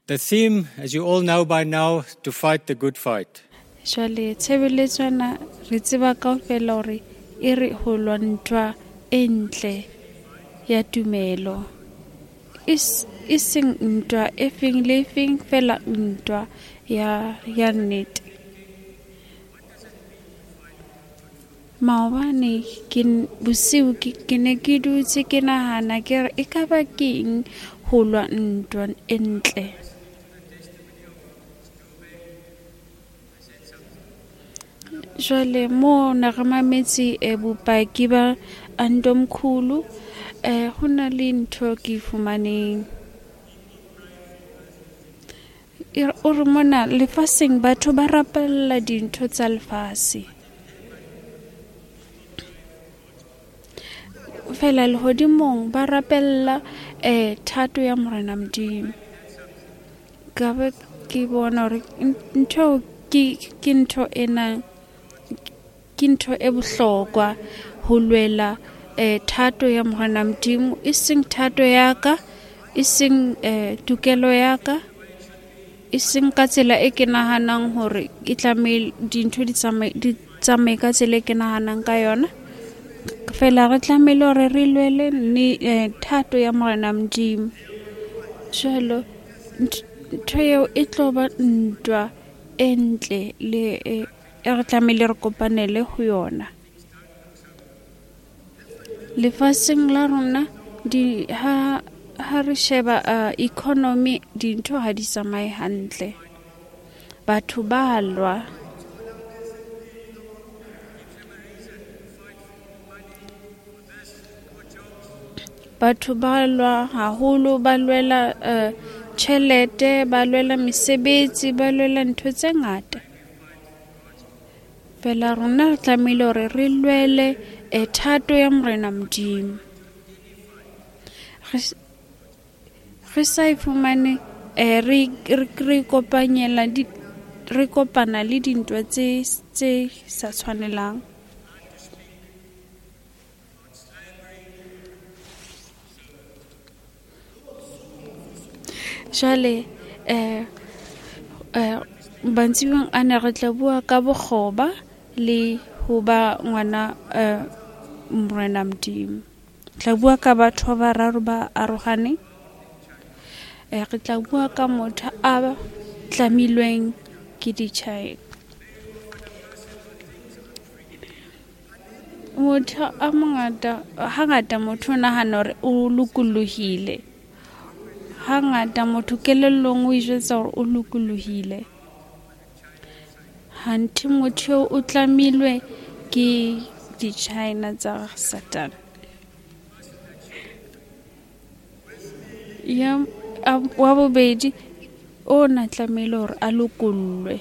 The theme, as you all know by now, to fight the good fight. Jwale tshebeletso ena re tseba kaofela hore e re ho lwa ntwa e ntle ya tumelo. E seng ntwa e feng le feng fela ntwa ya nnete. Maobane ke bosiu ke ne ke dutse ke nahana ke re ekaba keng ho lwa ntwa e ntle. Jwale mo ne re mametse bopaki ba Antomkhulu, ho na le ntho ke e fumaneng. O re mona lefatsheng batho ba rapella dintho tsa lefatshe. Fela lehodimong ba rapella thato ya Morena Modimo. Ka be ke bona hore ntho ke ntho ena ke ntho e bohlokwa ho lwela thato ya Morena Modimo, e seng thato ya ka, e seng tokelo ya ka, e seng ka tsela e ke nahanang hore e tlamehile dintho di tsamaye ka tsela e ke nahanang ka yona. Fela re tlamehile hore re lwele thato ya Morena Modimo. Jwalo ntho eo e tlo ba ntwa e ntle le e re tlamehile re kopanele ho yona. Lefatsheng la rona ha re sheba economy dintho ha di tsamaye hantle. Batho ba lwa. Batho ba lwa haholo, ba lwela tjhelete, ba lwela mesebetsi, ba lwela ntho tse ngata. Fela rona re tlamehile hore re lwele thato ya Morena Modimo. Re sa e fumane re kopana le dintwa tse sa tshwanelang. Jwale mantsibueng ana re tla bua ka bokgoba le ho ba ngwana Morena Modimo. Tla bua ka batho ba bararo ba arohaneng. Re tla bua ka motho a tlamilweng ke ditjhae. Motho a mongata hangata motho o nahana hore o lokolohile. Hangata motho kelellong o ijwetsa hore o lokolohile. Hanthe motho o tlamilwe ke di-China tsa Satan. Ya wa bobedi o na tlamehile hore a lokollwe.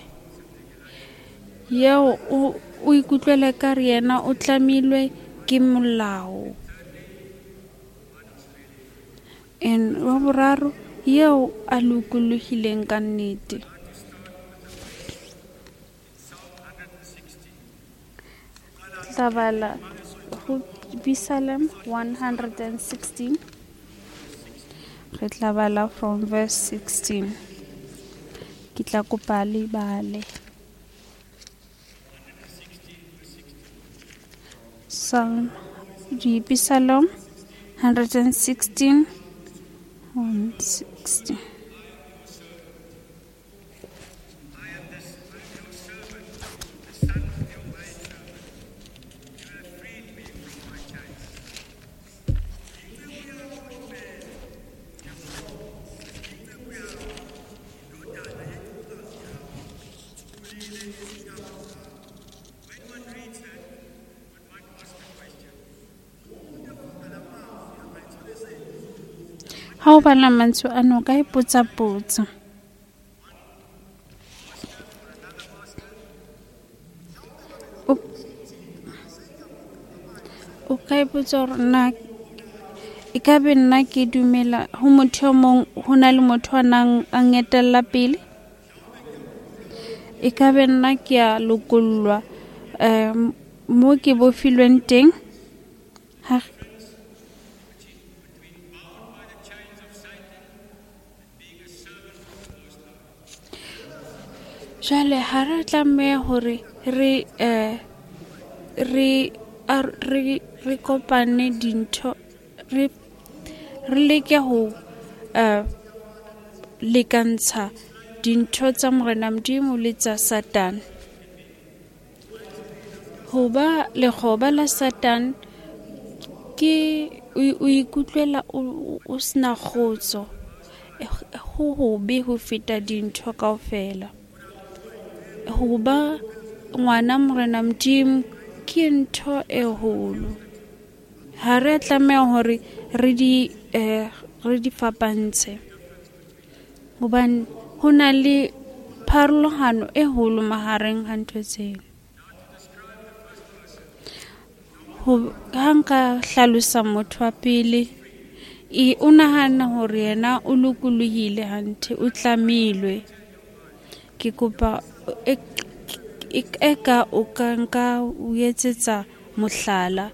Yeo o ikutlwela ka re yena o tlamilwe ke molao. And wa boraro yeo a lokolohileng ka nnete. Tla bala ho Psalm 116. Re tla bala from verse 16. Ke tla kopa le bale. Psalm 116 160. Ha o bala mantswe ano ka ipotsa potso. O ka ipotsa hore na e ka be nna ke dumela ho motho e mong, ho na le motho a nang a ngetella pele. E ka be nna ke a lokollwa mo ke bofilweng teng. Jwale ha re tlameha hore re re kopane dintho, re leke ho lekantsha dintho tsa Morena Modimo le tsa Satane. Hoba lekgoba la Satane ke o ikutlwela o sena kgotso, ho hobe ho feta dintho kaofela. Hoba ngwana Morena Modimo ke ntho e holo. Ha re tlameha hore re di fapantshe, hobane ho na le pharologano e holo mahareng ha ntho tseo. Ha nka hlalosa motho wa pele, o nahana hore yena o lokolohile hanthe, o tlamilwe. Ke kopa eka o ka nka o etsetsa mohlala.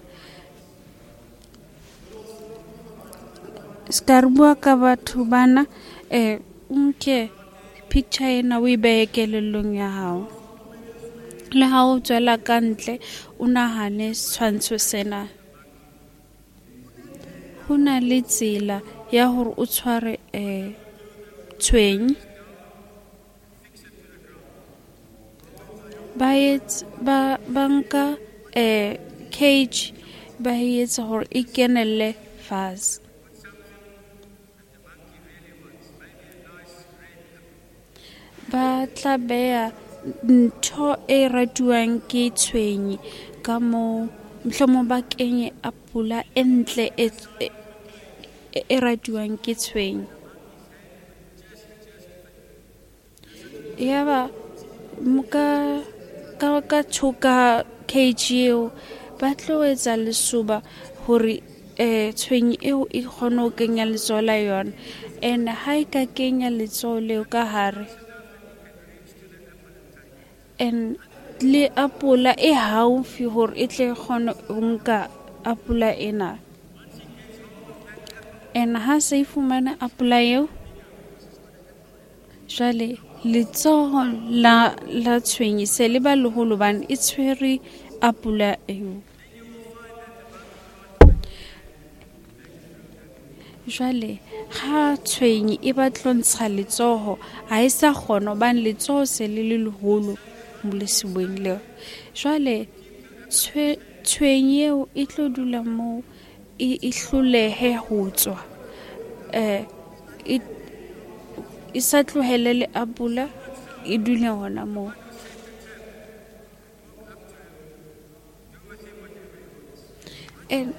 Ska re bua ka batho bana, o nke picture ena o e behe kelellong ya hao. Le ha o tswela ka ntle, o nahane setshwantsho sena. Ho na le tsela ya hore o tshware tshwenye. Ba nka cage, ba etsa hore e kenelle fatshe. Ba tla beha ntho e ratuwang ke tshwenye ka moo, mohlomong ba kenye apola e ntle e ratuwang ke tshwenye. Yaba ka thoka cage eo, ba tlo etsa lesoba hore tshwenye eo e kgone ho kenya letsoho la yona. And ha e ka kenya letsoho leo ka hare, and le apola e haufi hore e tle kgone ho nka apola ena. And ha se e fumana apola eo, jwale letsoho la tshwenye se le ba leholo hobane e tshwere apola eo. Jwale ha tshwenye e batla ntsha letsoho, ha e sa kgona hobane letsoho se le le leholo lesebeng leo. Jwale tshwenye eo e tlo dula moo e hlolehe ho tswa, e sa tlohele le apola, e dule hona moo. And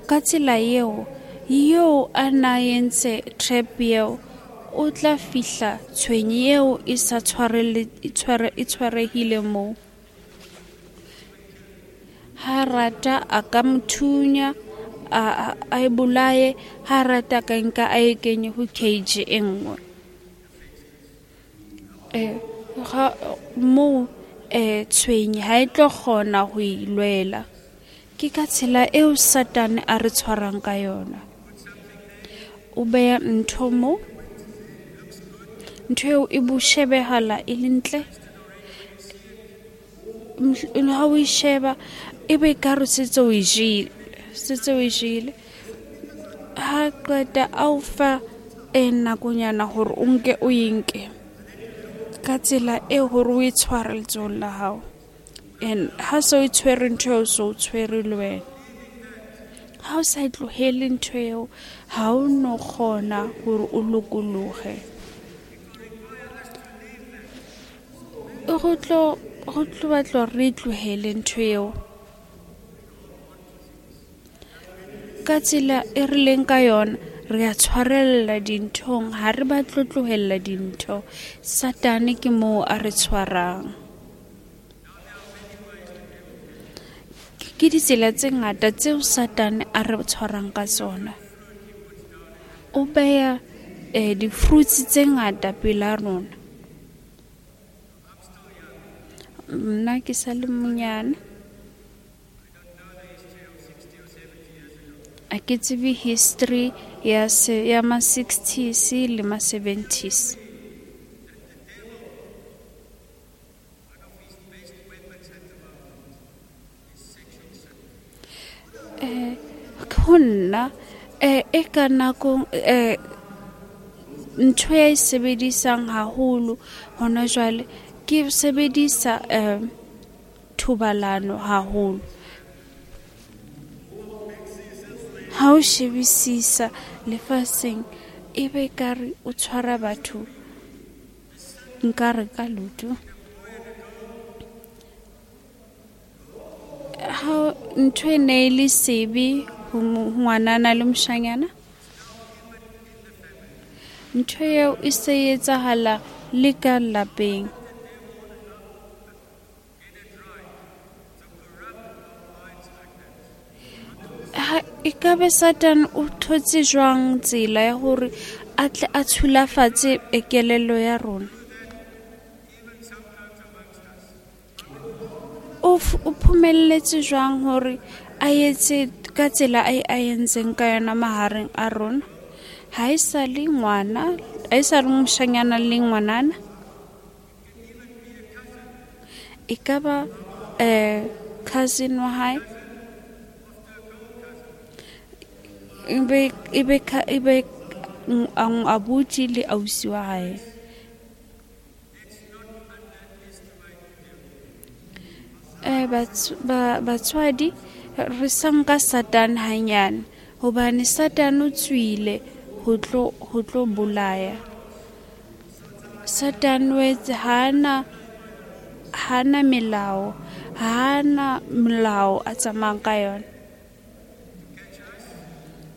ka tsela eo, eo a na entse trap eo, o tla fihla tshwenye eo e sa tshwarehile moo. Ha rata a ka mo thunya, a e bolaye, ha rata ka nka a e kenye ho cage e nngwe. Moo tshwenye ha e tlo kgona ho e lwela. Ke ka tsela eo Satane a re tshwarang ka yona. O beha ntho moo, ntho eo e bo shebehala e le ntle. Ha o e sheba, e be ekare setse o e jele, setse o e jele. Ha qeta a o fa nakonyana hore o nke o e nke ka tsela e hore o e tshware letsohong la hao. And ha se o e tshwere ntho eo, so o tshwere le wena. Ha o sa e tlohele ntho eo, ha o no kgona hore o lokolohe. Go tlo batla re tlohele ntho eo. Ka tsela e re leng ka yona, re a tshwarella dinthong, ha re batle tlohella dintho. Satane ke moo a re tshwarang. Ke ditsela tse ngata tseo Satane a re tshwarang ka tsona. O beha di-fruits tse ngata pela rona. Nna ke sa le monyane, a ke tsebe history ya ma 60s le ma 70s. Ho nna e ka nako ntho ya e sebedisang haholo hona jwale ke sebedisa thobalano haholo. Ha o shebisisa lefatsheng e be kare o tshwara batho nkare ka lotho. Ha ntho e ne e le sebe ho ngwanana le moshanyana, ntho eo e se etsahala le ka lapeng. E ka be Satan o thotse jwang tsela ya hore a tle a tshulafatse kelello ya rona? O phumelletse jwang hore a etse ka tsela a entseng ka yona mahareng a rona? Ha e sa le ngwana, ha e sa le moshanyana le ngwanana. E ka ba cousin wa hae, e be abuti le ausi wa hae. Batswadi re sa nka Satan hanyane, hobane Satan o tswile ho tlo bolaya. Satan o etse hana melao, hana molao a tsamayang ka yona.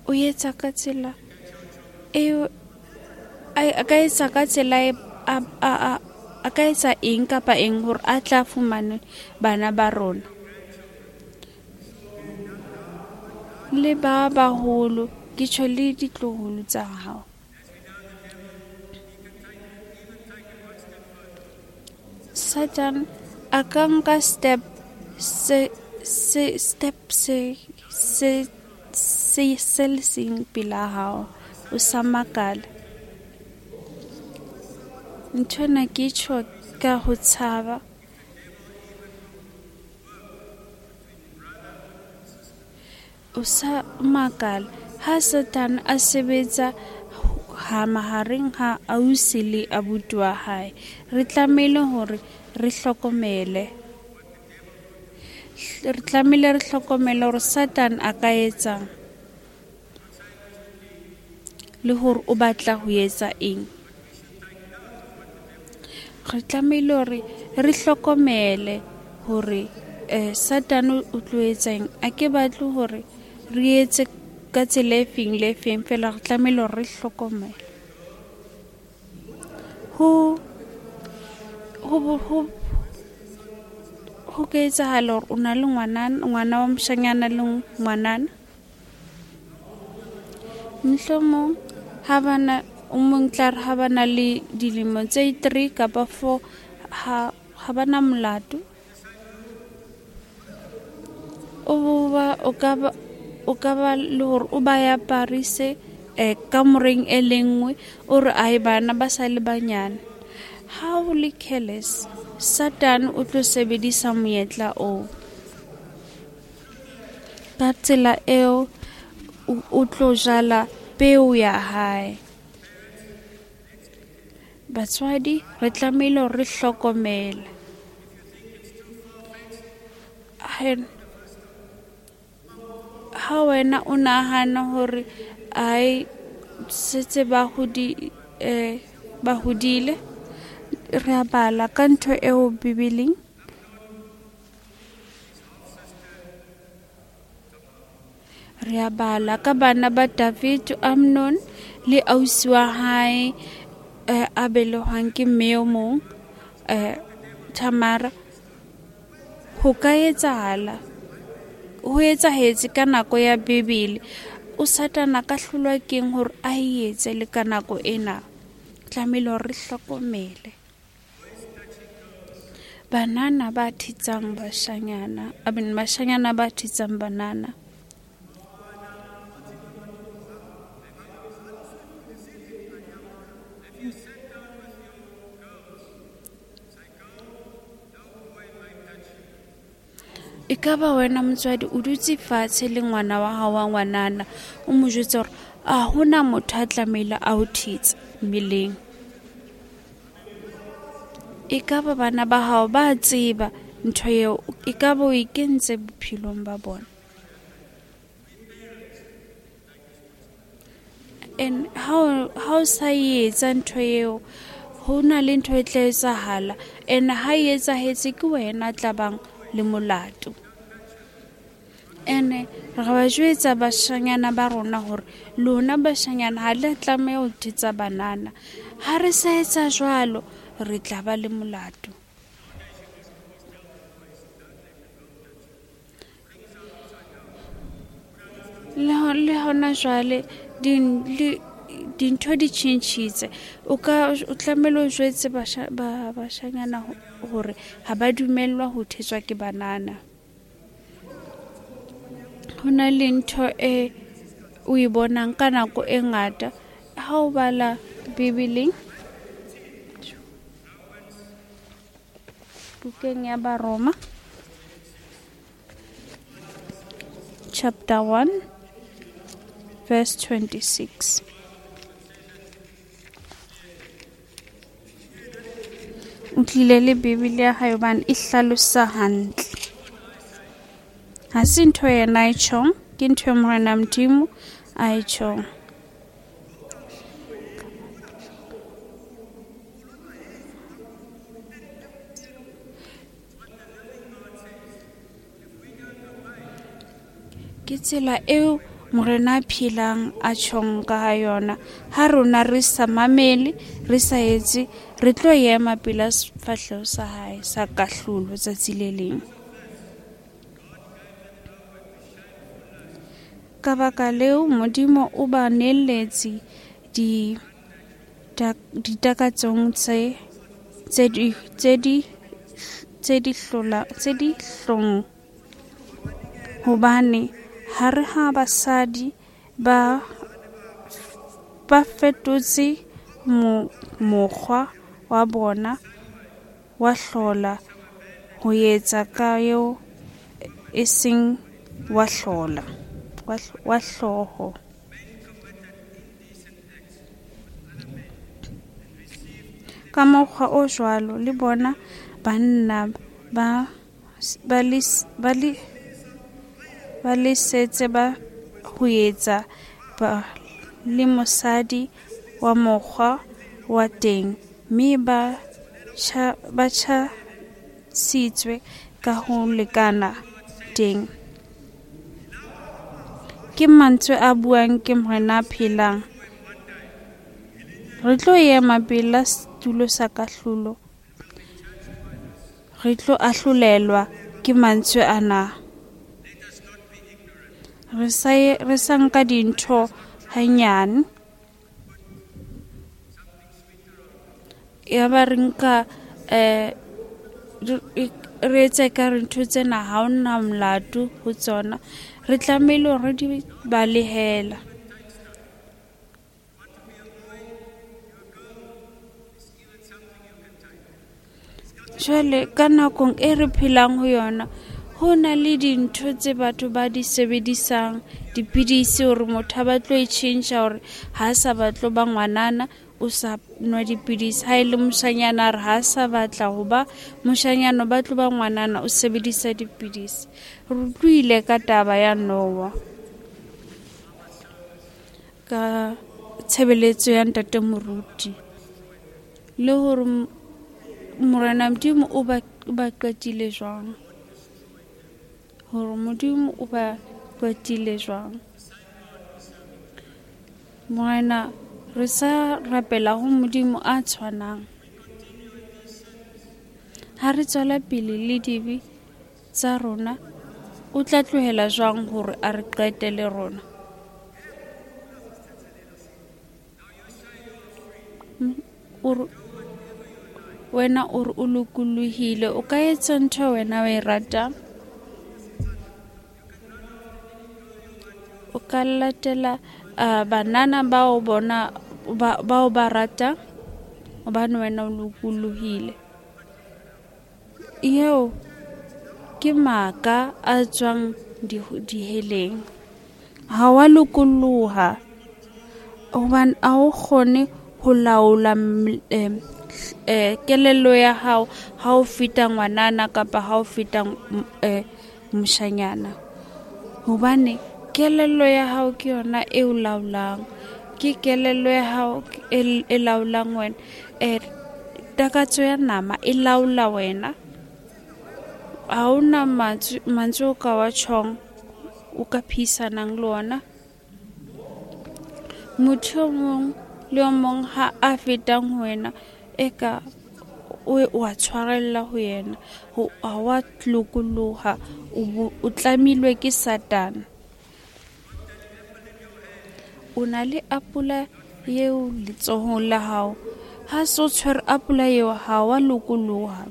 O etsa ka tsela eo a ka etsa ka tsela a ka etsa eng kapa eng hore a tla fumane bana ba rona. Le ba baholo, ke tjho le ditloholo tsa hao. Satan a ka nka step se se le seng pela hao, o sa makala. Nthwena ke tjho ka ho tshaba. O sa makala ha Satan a sebetsa ha mahareng ha ausi le abuti wa hae. Re tlamehile hore re hlokomele. Re tlamehile re hlokomele hore Satan a ka etsang le hore o batla ho etsa eng. Re tlamehile hore re hlokomele hore Satan o tlo etsa eng. A ke batle hore re etse ka tsela e feng le feng, fela re tlamehile hore re hlokomele. Ho ka etsahala hore o na le ngwana wa moshanyana le ngwanana. Mohlomong ha bana o mong tla re ha bana le dilemo tse 3 kapa 4 ha bana molato. O ka ba le hore o ba ya Paris kamoreng e le nngwe, o re ai bana ba sa le banyane. Ha o le careless, Satan o tlo sebedisa monyetla oo. Ka tsela eo o tlo jala peo ya hae. Batswadi re tlamehile hore re hlokomele. Ha wena o nahana hore ai setse ba hodile, re a bala ka ntho eo Bibeleng. Re a bala ka bana ba David, Amnon le ausi wa hae a belehwang ke mme o mong, Tamara. Ho ka etsahala, ho etsahetse ka nako ya Bibele. O Satan a ka hlolwa keng hore a etse le ka nako ena? Tlamehile hore re hlokomele. Banana ba thetsang bashanyana, bashanyana ba thetsang banana. E ka ba wena motswadi o dutse fatshe le ngwana wa hao wa ngwanana, o mo jwetsa hore a hona motho a tlamehile a o thetse mmeleng. E ka ba bana ba hao ba tseba ntho eo, e ka ba o e kentse bophelong ba bona. And ha o sa etsa ntho eo, ho na le ntho e tla etsahala. And ha e etsahetse ke wena tla bang le molato. Ene re ba jwetsa bashanyana ba rona hore lona bashanyana ha le tlameha ho thetsa banana. Ha re sa etsa jwalo, re tla ba le molato. Le hona jwale dintho di tjhentjhitse. O tlamehile o jwetse bashanyana hore ha ba dumellwa ho thetswa ke banana. Ho na le ntho e o e bonang ka nako e ngata ha o bala Bibeleng, bukeng ya Baroma chapter 1 verse 26. O tlile le Bibele ya hae hobane e hlalosa hantle. Ha se ntho yena a e tjhong, ke ntho e Morena Modimo a e tjhong. Ke tsela eo Morena a phelang a tjhong ka yona. Ha rona re sa mamele, re sa etse, re tlo ema pela sefahleho sa hae sa kahlolo tsatsi le leng. Ka baka leo Modimo o ba neletse ditakatsong tse di hlong, hobane hare ha basadi ba fetotse mokgwa wa bona wa hlola ho etsa ka eo e seng wa hlola wa hlooho. Ka mokgwa o jwalo le bona banna ba lesetse ba ho etsa ba le mosadi wa mokgwa wa teng, mme ba tjhasitswe ka ho lekana teng. Ke mantswe a buang ke Morena a phelang. Re tlo ema pela setulo sa kahlolo, re tlo ahlolelwa ke mantswe ana. Re sa nka dintho hanyane, ya ba re nka re etse ka re ntho tsena ha hona molato ho tsona. Re tlamehile hore di balehela. Jwale ka nakong e re phelang ho yona, ho na le dintho tse batho ba di sebedisang, dipidisi hore motho a batlo e tjhentjha hore ha sa batlo ba ngwanana, o sa nwa dipidisi. Ha e le moshanyana a re ha sa batla ho ba moshanyana, o batlo ba ngwanana, o sebedisa dipidisi. Re utlwile ka taba ya Noah ka tshebeletso ya ntate moruti, le hore Morena Modimo o ba qetile jwang, hore Modimo o ba qetile jwang. Morena, re sa rapela ho Modimo a tshwanang. Ha re tswela pele le dibe tsa rona, o tla tlohela jwang hore a re qete le rona? Wena o re o lokolohile, o ka etsa ntho wena o e ratang. O ka latela banana bao bona bao ba ratang, hobane wena o lokolohile. Eo Ke maka a tswang diheleng. Ha wa lokoloha hobane ha o kgone ho laola kelello ya hao ha o feta ngwanana kapa ha o feta moshanyana. Hobane kelello ya hao ke yona e o laolang. Ke kelello ya hao e laolang wena. Takatso ya nama e laola wena. Ha hona mantswe o ka wa tjhong, o ka phihisanang le ona. Motho o mong le o mong ha a fetang ho wena eka o wa tshwarella ho yena. Ha wa lokoloha, o tlamilwe ke Satane. O na le apola eo letsohong la hao. Ha so tshwere apola eo, ha wa lokoloha.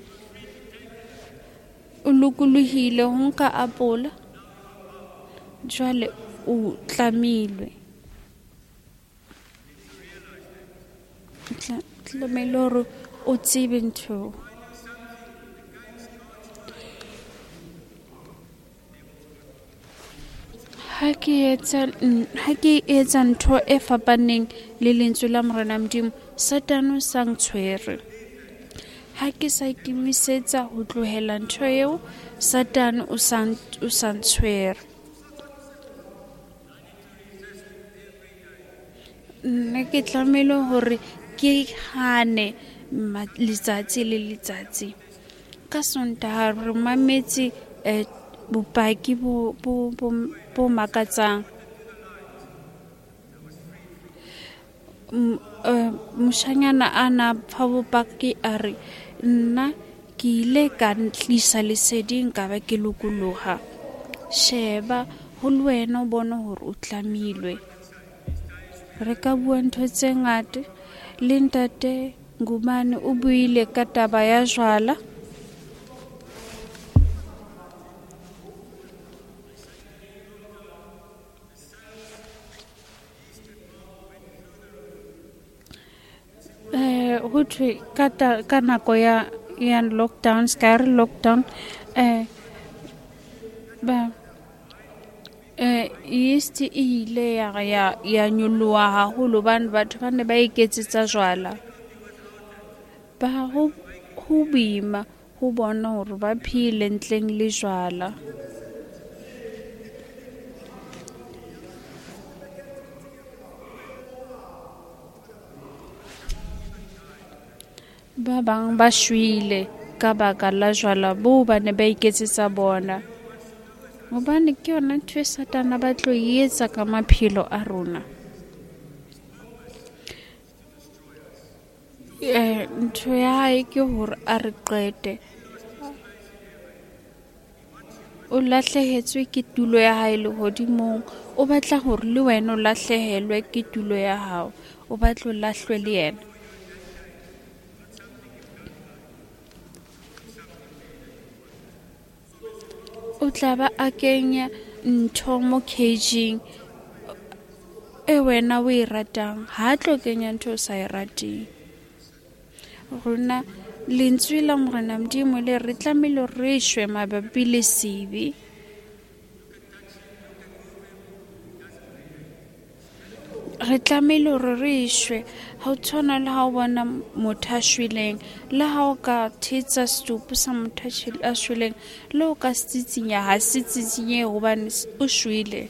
O lokolohile ho nka apola, jwale o tlamilwe. Tlamehile hore o tsebe ntho. Ha ke etsa ntho e fapaneng le lentswe la Morena Modimo, Satane o sa ntshwere. Ha ke sa ikemisetsa ho tlohela ntho eo, Satane o sa ntshwere. Nna ke tlamehile hore ke hane letsatsi le letsatsi. Ka Sontaha re mametse bopaki bo makatsang. Moshanyana a na fa bopaki a re nna ke ile ka ntlisa leseding ka ba ke lokoloha. Sheba ho le wena o bone hore o tlamilwe. Re ka bua ntho tse ngata. Le ntate Ngubane o buile ka taba ya jwala. Ho thwe ka nako ya lockdown, ska re lockdown, ba yeast e ile ya nyoloha haholo hobane batho ba ne ba iketsetsa jwala. Ba ho boima ho bona hore ba phele ntleng le jwala. Ba bang ba shwele ka baka la jwala boo ba ne ba iketsetsa bona. Hobane ke yona ntho e Satane ba tlo e etsa ka maphelo a rona. Ntho ya hae ke hore a re qete. O lahlehetswe ke tulo ya hae lehodimong. O batla hore le wena o lahlehelwe ke tulo ya hao. O batla o lahlwe le yena. O tla ba a kenya ntho mo cage-ing e wena o e ratang. Ha tlo kenya ntho o sa e rateng. Rona lentswe la Morena Modimo le re tlamehile re shwe mabapi le sebe. Re tlamehile hore re shwe. Ha o tshwana le ha o bona motho a shweleng, le ha o ka thetsa setopo sa motho a shweleng, le o ka se tsitsinya, ha se tsitsinyehe hobane o shwele.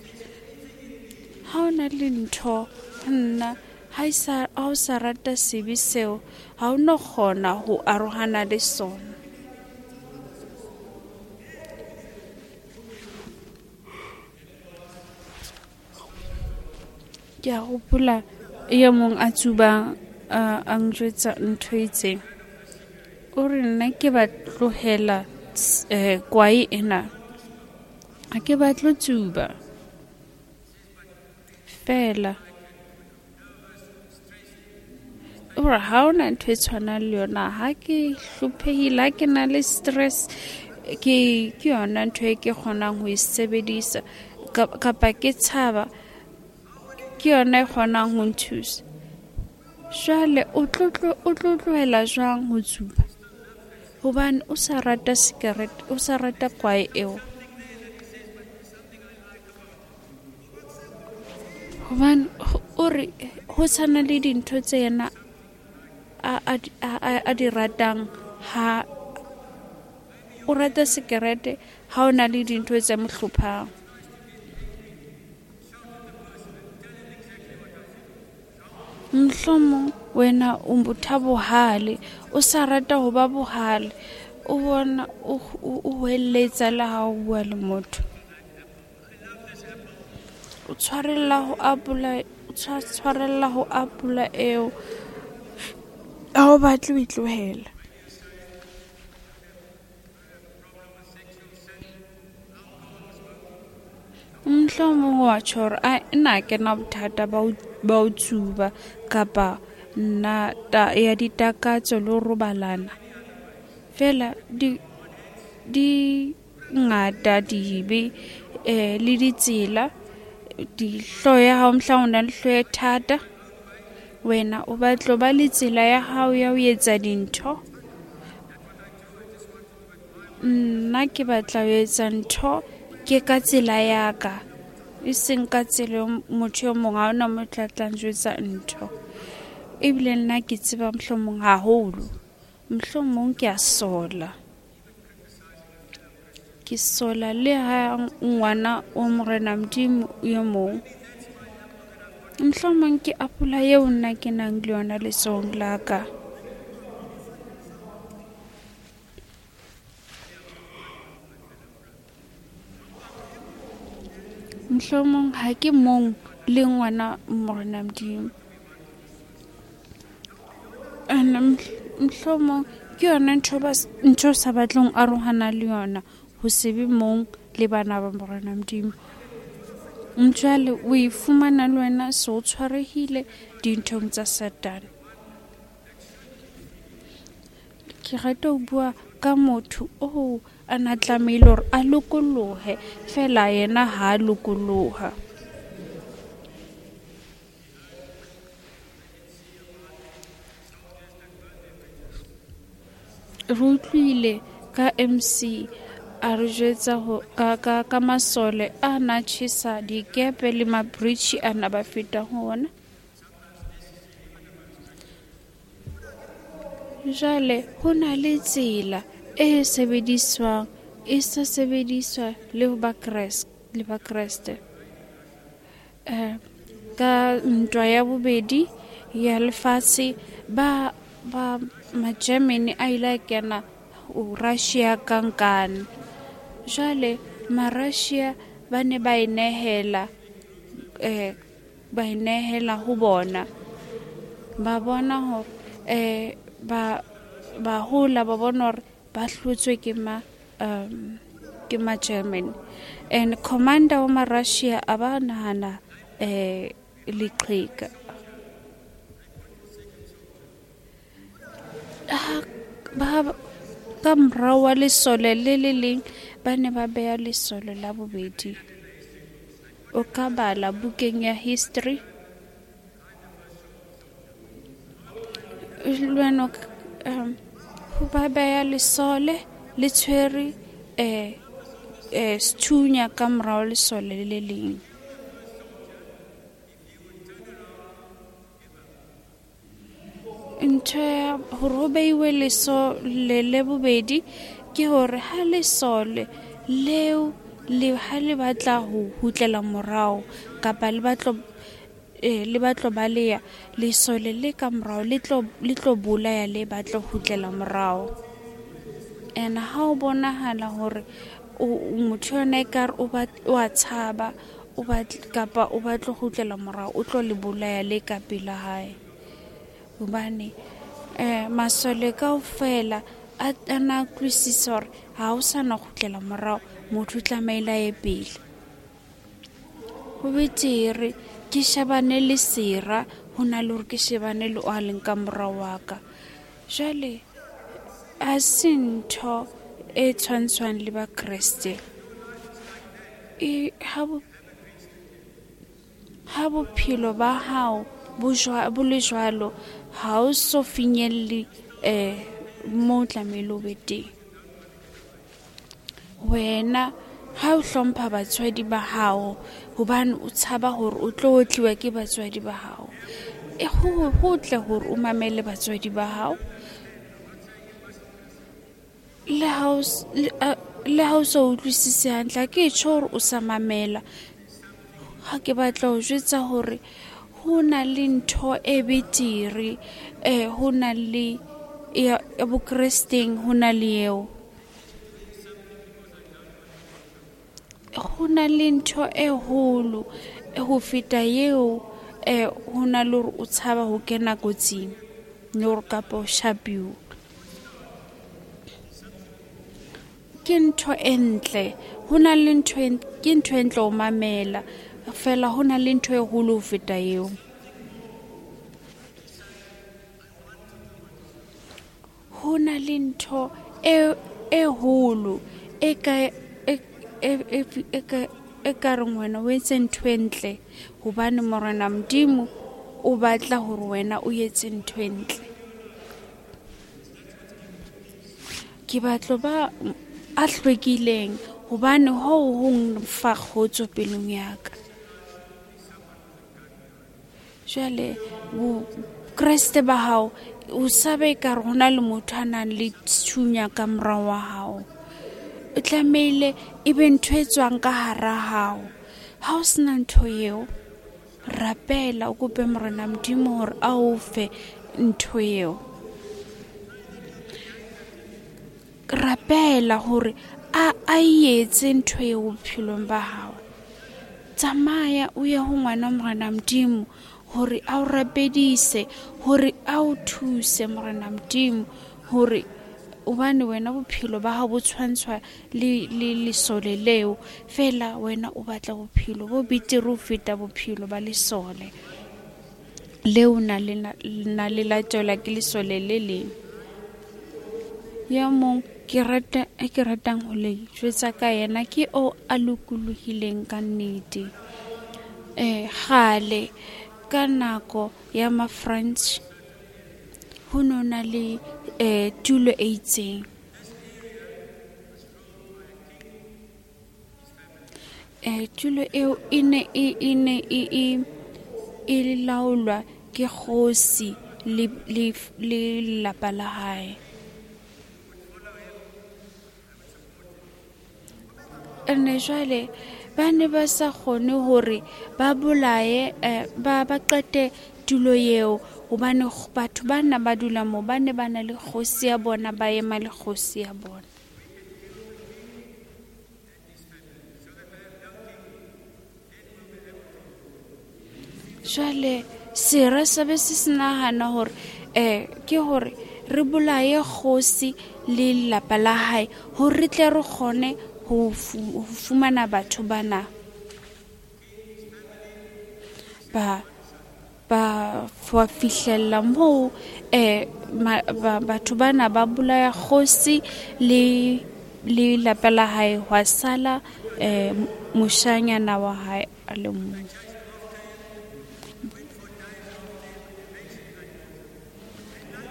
Ha o na le ntho nna ha o sa rata sebe seo, ha o no kgona ho arohana le sona. Ke a hopola e mong a tsubang a njwetsa ntho e itseng. O re nna ke ba tlohela kwae ena. Ha ke batle tsuba. Fela. O re ha hona ntho e tshwanang le yona. Ha ke hlophehile, ha ke na le stress, ke yona ntho e ke kgonang ho e sebedisa. Kapa ke tshaba, ke yona e kgonang ho nthusa. Jwale o tlo tlohela jwang ho tsuba? Hobane o sa rata sikarete, o sa rata kwae eo. Hobane o re ho tshwana le dintho tse yena a di ratang, ha o rata sikarete ha o na le dintho tse mo hlophang. Mohlomong wena o motho a bohale, o sa rata ho ba bohale, o bona o hweletsa le ha o bua le motho. O tshwarella ho apola, o tshwarella ho apola eo, ha o batle ho e tlohela. Mohlomong wa tjho hore a nna ha ke na bothata ba ho tsuba kapa nna ya ditakatso le ho robalana. Feela di ngata dibe le ditsela, dihlooho ya hao mohlang o na le hlooho e thata. Wena o batla ho ba le tsela ya hao ya ho etsa dintho. Nna ke batla ho etsa ntho ke ka tsela ya ka, e seng ka tsela motho e mong. Ha hona motho a tla njwetsa ntho. Ebile nna ke tseba mohlomong haholo, mohlomong ke a sola. Ke sola le ha ngwana wa Morena Modimo e mong. Mohlomong ke apola eo nna ke nang le yona letsohong la ka. Mohlomong ha ke mong le ngwana Morena Modimo. And mohlomong ke yona ntho o sa batleng ho arohana le yona, ho se be mong le bana ba Morena Modimo. Jwale o e fumana le wena se o tshwarehile dinthong tsa Satane. Ke rata ho bua ka motho oo a na tlamehile hore a lokolohe, feela yena ha a lokoloha. Re utlwile ka MC a re jwetsa ka masole a na tjhesa dikepe le mabridge a na ba feta ho ona. Jwale ho na le tsela e sebediswang, e sa sebediswa le ho le Bakreste. Ka ntwa ya bobedi ya lefatshe, ba ma-Germany a ile a kena Russia ka nkane. Jwale ma-Russia ba ne ba inehela, ba inehela ho bona. Ba bona hore ba hola, ba bona hore ba hlotswe ke ma-Germany. And commander wa ma-Russia a ba nahana leqheka. Ka morao wa lesole le le leng ba ne ba beha lesole la bobedi. O ka bala bukeng ya history. Le wena ba beha lesole le tshwere sethunya ka morao lesole le leng. Ntho ya hore ho beiwe lesole le bobedi ke hore ha lesole leo le ha le batla ho kgutlela morao kapa le batlo baleya, lesole le ka morao le tlo bolaya le batla ho kgutlela morao. And ha o bonahala hore motho yona ekare o a tshaba, o batla kapa o batla ho kgutlela morao, o tlo le bolaya le ka pela hae. Hobane masole kaofela a na utlwisisa hore ha o sa na kgutlela morao, motho o tlamehile a ye pele. Ho betere ke shebane le sera ho na le hore ke shebane le o a leng ka morao wa ka. Jwale ha se ntho e tshwantshwang le Bakreste. Ha bophelo ba hao bo le jwalo, ha o so finyelle mo tlamehile o be teng. Wena ha o hlompha batswadi ba hao hobane o tshaba hore o tlo otliwa ke batswadi ba hao, e ho tle hore o mamele batswadi ba hao. Le ha o sa utlwisise hantle, ke tjho hore o sa mamela. Ha ke batla ho jwetsa hore ho na le ntho e betere, ho na le ya bokresteng, ho na le eo. Ho na le ntho e holo ho feta eo, ho na le hore o tshaba ho kena kotsing le hore kapa o shapiwe. Ke ntho e ntle, ho na le ntho ke ntho e ntle ho mamela, fela ho na le ntho e holo ho feta eo. Ho na le ntho e holo e ka e ka reng wena o etse ntho e ntle hobane Morena Modimo o batla hore wena o etse ntho e ntle. Ke batla ba a hlwekileng hobane hoo ho nfa kgotso pelong ya ka. Jwale Kreste ba hao o sabe ka re hona le motho a nang le tshunya ka morao wa hao. O tlamehile e be ntho e tswang ka hara hao. Ha o sena ntho eo, rapela o kope Morena Modimo hore a o fe ntho eo. Rapela hore a etse ntho eo bophelong ba hao. Tsamaya o ye ho ngwana Morena Modimo hore a o rapedise, hore a o thuse Morena Modimo, hore hobane wena bophelo ba hao bo tshwantshwa le lesole leo, fela wena o batla bophelo bo betere ho feta bophelo ba lesole leo na le latelwa ke lesole le leng. Ya mong ke ratang ho le jwetsa ka yena ke o a lokolohileng ka nnete. Kgale ka nako ya ma-French ho no na le tulo e itseng. Tulo eo e ne e laolwa ke kgosi le lelapa la hae. Ene jwale ba ne ba sa kgone hore ba bolaye ba qete tulo eo hobane batho bana ba dula moo ba ne ba na le kgosi ya bona, ba ema le kgosi ya bona. Jwale sera sa be se se nahana hore ke hore re bolaye kgosi le lelapa la hae hore re tle re kgone ho fumana batho bana ba fihlella moo batho bana ba bolaya kgosi le lelapa la hae, hwa sala moshanyana wa hae a le mong.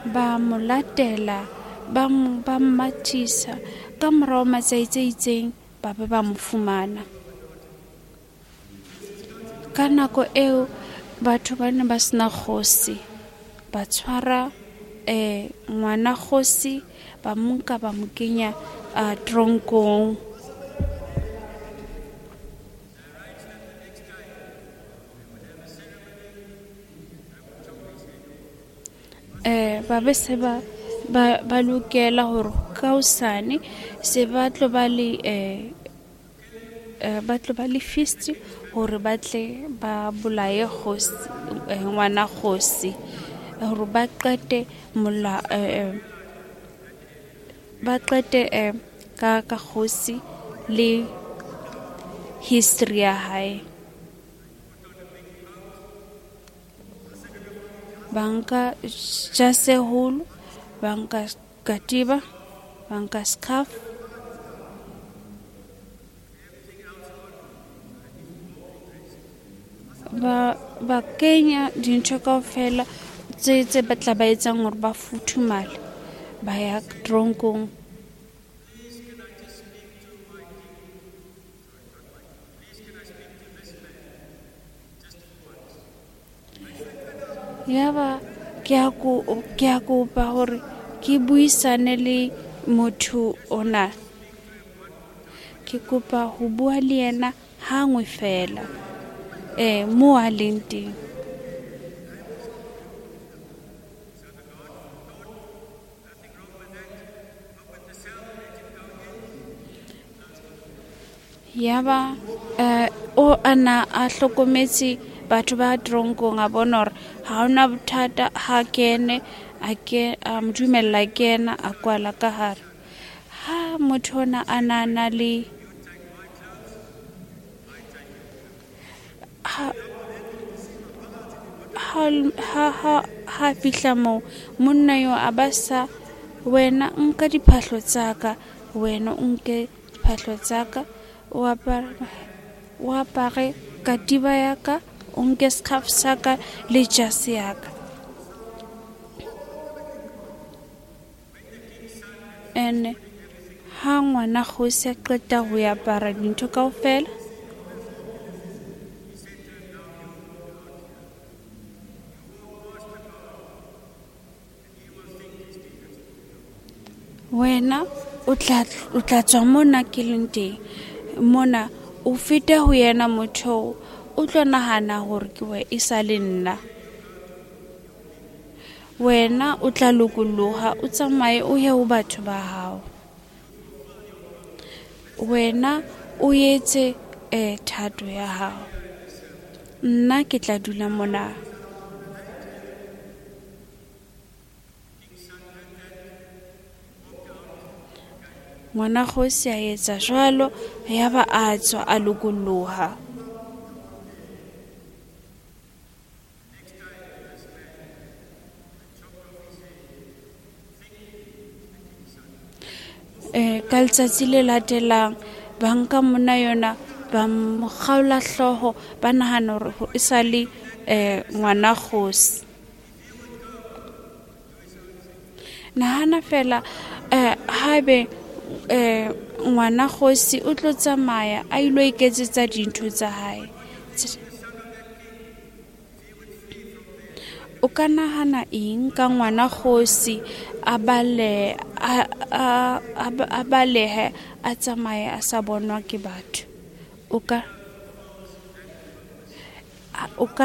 Ba mo latela, ba mmathisa ka morao matsatsi a itseng, ba be ba mo fumana. Ka nako eo batho ba ne ba sena kgosi, ba tshwara ngwana kgosi, ba mo nka ba mo kenya tronkong. Ba be se ba lokela hore ka hosane se ba tlo ba le feast hore ba tle ba bolaye kgosi, ngwana kgosi, hore ba qete ka kgosi le history ya hae. Ba nka jase holo, ba nka katiba, ba nka scarf, ba kenya dintho kaofela tse batla ba etsang hore ba futhumale. ba ya tronkong. Yaba ke a kopa hore ke buisane le motho ona. Ke kopa ho bua le yena hangwe fela, mo a leng teng. Yaba o ana a hlokometse batho ba tronkong, a bona hore ha hona bothata, ha kene a ke a mo dumella kena, a kwala ka hare. Ha motho ona a na le ha fihla moo, monna yo a ba sa, wena nka diphahlo tsa ka, wena o nke diphahlo tsa ka, o apare katiba ya ka, o nke scarf sa ka le jase ya ka. Ene ha ngwana kgosi a qeta ho apara dintho kaofela, wena o tla tswa mona ke leng teng mona, o fete ho yena motho o tlo nahana hore ke we e sa le nna. Wena o tla lokoloha, o tsamaye o ye ho batho ba hao. Wena o etse thato ya hao, nna ke tla dula mona. Ngwana kgosi a etsa jwalo, yaba a tswa a lokoloha. Ka letsatsi le latelang ba nka monna yona, ba mo kgaola hlooho, ba nahana hore e sa le ngwana kgosi. Nahana fela haebe ngwana kgosi o tlo tsamaya a ilo iketsetsa dintho tsa hae. O ka nahana eng ka ngwana kgosi a balehe a tsamaye a sa bonwa ke batho? O ka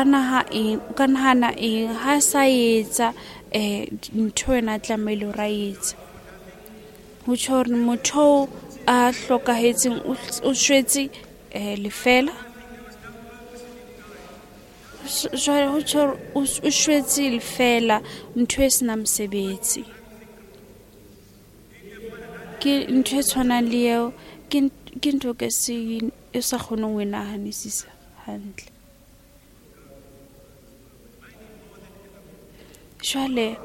nahana eng ha sa etsa ntho ena tlamehile hore a etse? Ho tjho hore motho a hlokahetseng o shwetse lefela. Jwale ho tjho hore o shwetse lefela, ntho e senang mosebetsi. Ke ntho e tshwanang le eo, ke ntho ke se e sa kgoneng ho e nahanisisa hantle. Jwale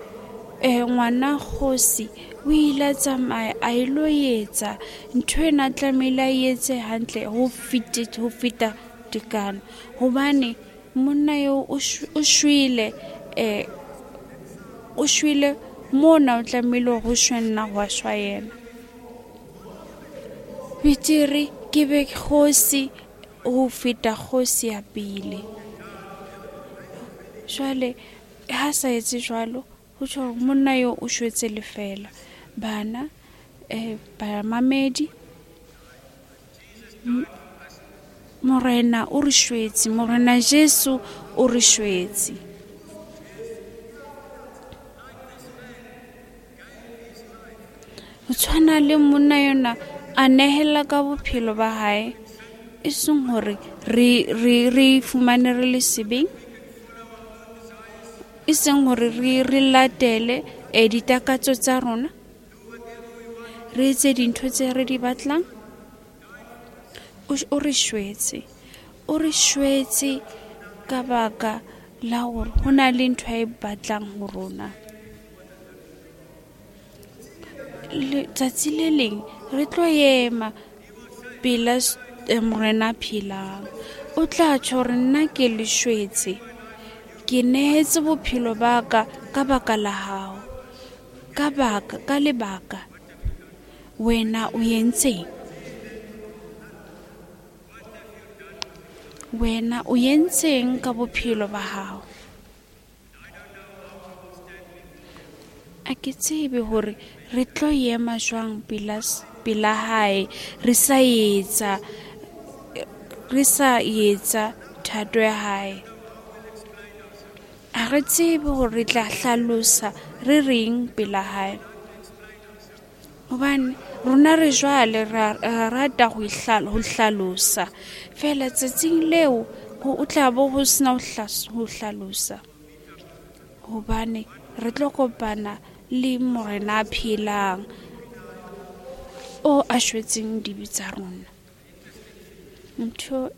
ngwana kgosi o ile a tsamaya a ilo etsa ntho ena tlamehile a etse hantle ho feta tekano, hobane monna eo o shwele o shwele mona, o tlamehile ho shwe nna, hwa shwa yena. Betere ke be kgosi ho feta kgosi ya pele. Jwale ha sa etse jwalo, ho tjho hore monna eo o shwetse lefela. Bana bamamedi, Morena o re shwetse, Morena Jesu o re shwetse. Ho tshwana le monna yona a nehela ka bophelo ba hae, e seng hore re fumane re le sebeng, e seng hore re latele ditakatso tsa rona, re etse dintho tse re di batlang. O re shwetse, o re shwetse ka baka la hore ho na le ntho e batlang ho rona. Letsatsi le leng re tlo ema pela Morena phelang, o tla tjho hore nna ke le shwetse, ke nehetse bophelo ba ka ka baka la hao, Ka baka, ka lebaka, wena o entseng? Wena o entseng ka bophelo ba hao? A ke tsebe hore re tlo ema jwang pela hae re sa etsa thato ya hae. A re tsebe hore re tla hlalosa re reng pela hae. Hobane rona re jwale re rata ho hlalosa. Feela tsatsing leo ho tla bo ho sena ho hlalosa. Hobane re tlo kopana le Morena a phelang o a shwetseng dibe tsa rona. Ntho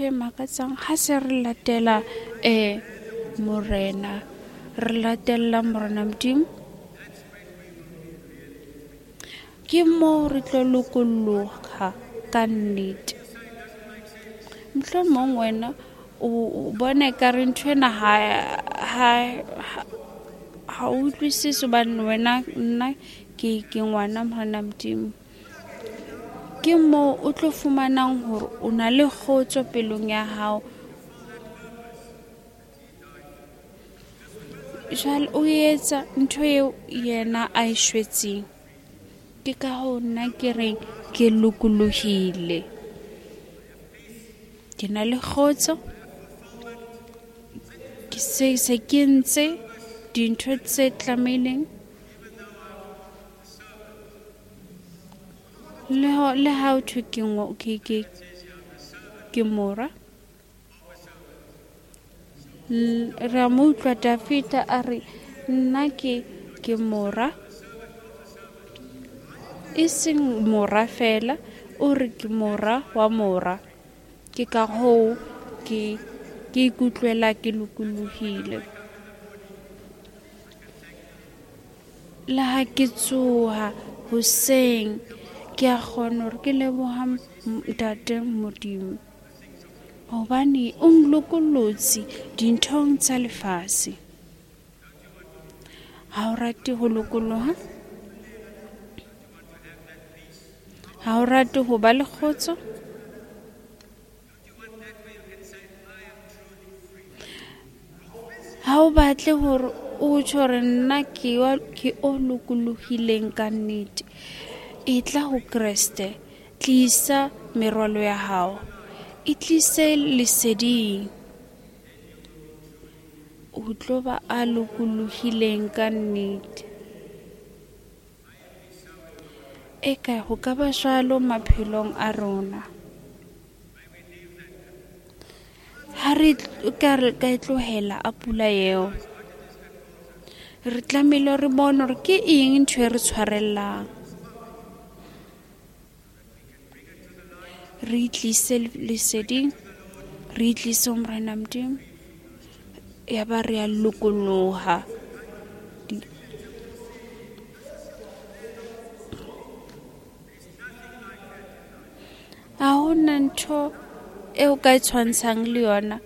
e makatsang ha se re latela Morena, re latella Morena Modimo, ke moo re tlo lokoloha ka nnete. Mohlomong wena o bona ekare ntho ena ha o utlwisise hobane wena nna ke ngwana Morena Modimo. Ke moo o tlo fumanang hore o na le kgotso pelong ya hao. Jwale o etsa ntho eo yena a e shwetseng. Ke ka hoo nna ke reng ke lokolohile. Ke na le kgotso. Ke se ke ntse dintho tse tlamehileng. Le ha o thwe ke mora. Re a mo utlwa Dafita a re nna ke mora. E seng mora fela, o re ke mora wa mora. Ke ka hoo ke ikutlwela ke lokolohile. Le ha ke tsoha hoseng, ke a kgona hore ke leboha Ntate Modimo. Hobane o nlokollotse dinthong tsa lefatshe. Ha o rate ho lokoloha? Ha o rate ho ba le kgotso? Ha o batle hore o tjho hore nna ke o lokolohileng ka nnete. E tla ho Kreste, tlisa merwalo ya hao. E tlise leseding. O tlo ba a lokolohileng ka nnete. Eka ho ka ba jwalo maphelong a rona. Ha re ka e tlohela a pula eo, re tlamehile re bone hore ke eng ntho e re tshwarellang. Re tlise leseding, re tlise ho Morena Modimo, ya ba re a lokoloha. Ha hona ntho e o ka e tshwantshang le yona,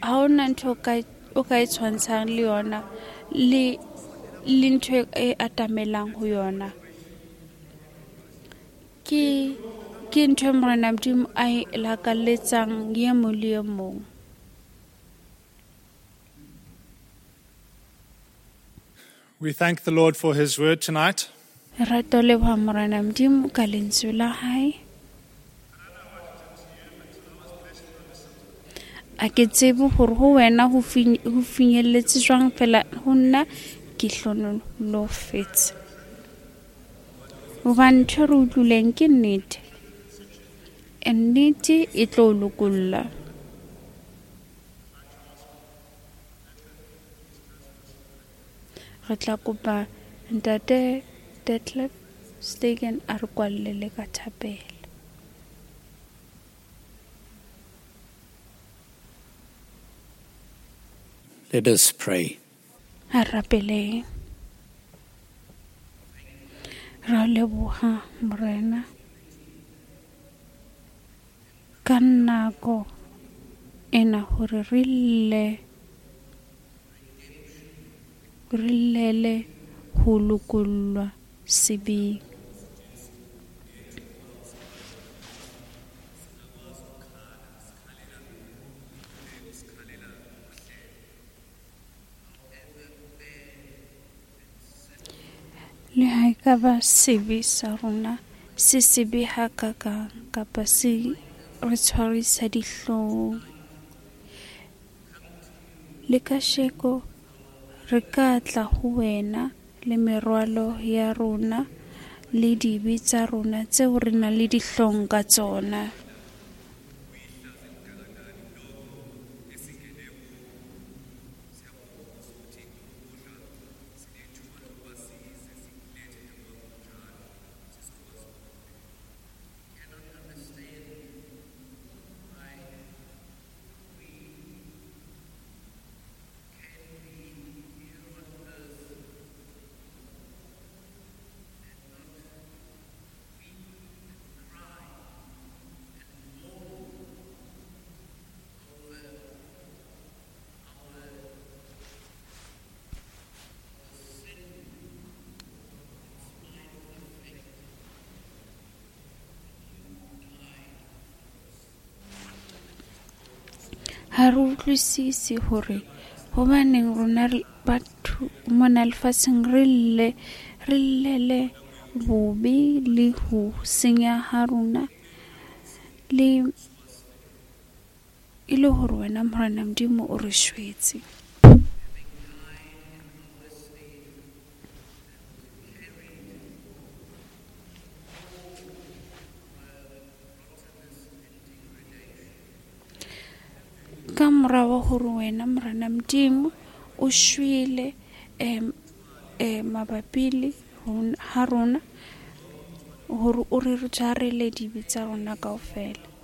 ha hona ntho o ka e tshwantshang le yona le ntho e atamelang ho yona. Ke ntho e Morena Modimo a e lakaletsang ye mong le e mong. We thank the Lord for his word tonight. Re leboha Morena Modimo ka lentswe la hae. A ke tsebe hore ho wena ho finyelletse jwang, fela ho nna ke hlonolofetse. Hobane ntho re utlwileng ke nnete. Nnete e tlo lokolla. Re tla kopa Ntate Detlef Stegen a re kwallele ka thapelo. Let us pray. A rapeleng. Ra leboha Morena ka nako ena hore re lle. Re llele ho lokollwa sebeng. Le ha e ka ba sebe sa rona se sebe hakakang kapa se re tshwarisa dihlong, le kasheko re ka tla ho wena le merwalo ya rona le dibe tsa rona tseo re nang le dihlong ka tsona. Ha re utlwisise hore hobaneng rona batho mona lefatsheng re llele bobe le ho senya ha rona, le e le hore wena Morena Modimo o re shwetse. Ka mora wa hore wena Morena Modimo o shwele mabapi le ha rona, hore o re jarele dibe tsa rona kaofela.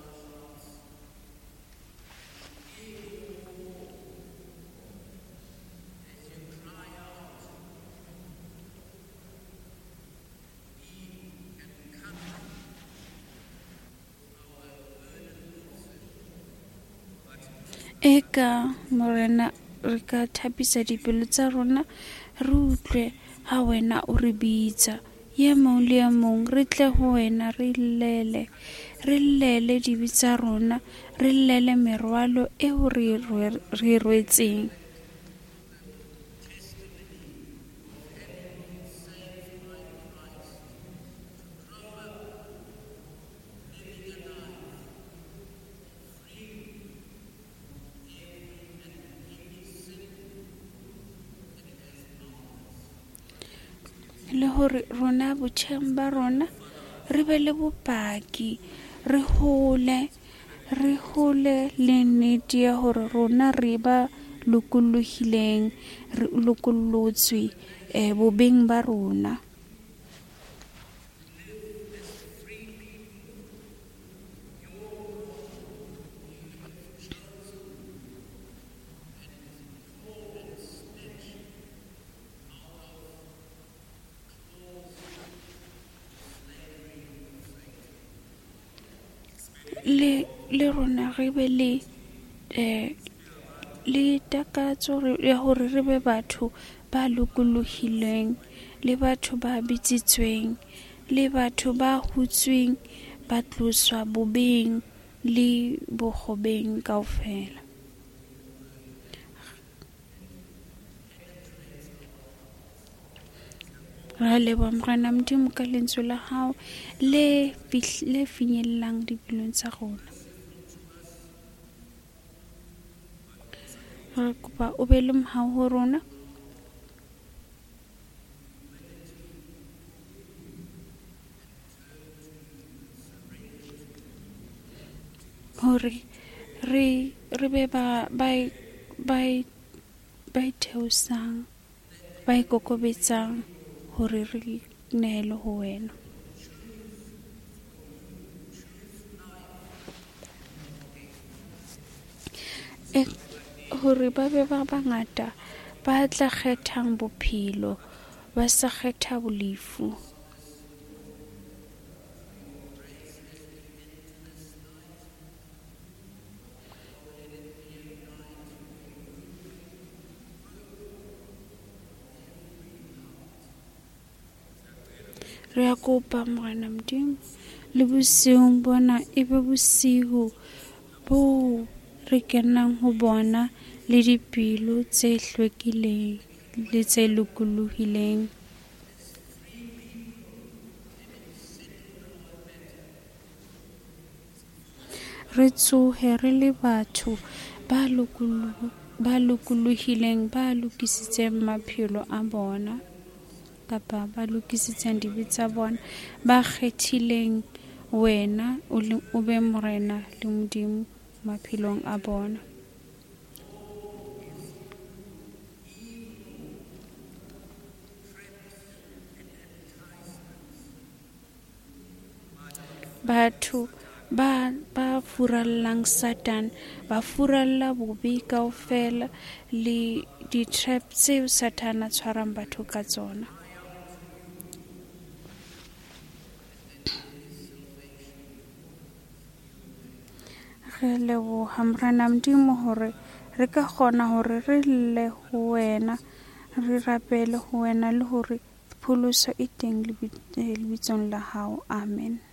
Eka Morena re ka thapisa dipelo tsa rona, re utlwe ha wena o re bitsa. Ye mong le ye mong re tle ho wena, re llele dibe tsa rona, re llele merwalo eo re rwetseng. Le hore rona botjheng ba rona re be le bopaki, re hole le nnete ya hore rona re ba lokollohileng, re lokollotswe bobeng ba rona. Le rona re be le takatso ya hore re be batho ba lokolohileng, le batho ba bitsitsweng, le batho ba hutsweng, ba tloswa bobeng le bokgobeng kaofela. Ra leboha Morena Modimo ka lentswe la hao le finyellang dipelong tsa rona. Re kopa o be le mohau ho rona. Hore re be ba itheosang, ba ikokobetsang, hore re neele ho wena. Hore ba be ba bangata ba tla kgethang bophelo, ba sa kgetha bolefu. Re a kopa Morena Modimo le bosiung bona e be bosiu boo re kenang ho bona le dipelo tse hlwekileng le tse lokolohileng. Re tsohe re le batho ba lokolohileng, ba lokisitseng maphelo a bona kapa ba lokisitseng dibe tsa bona, ba kgethileng wena o be Morena le Modimo maphelong a bona. Batho ba furallang Satan, ba furalla bobe kaofela le di-trap tseo Satan a tshwarang batho ka tsona. Re leboha Morena Modimo hore re ka kgona hore re lle ho wena, re rapele ho wena le hore pholoso e teng lebitsong la hao. Amen.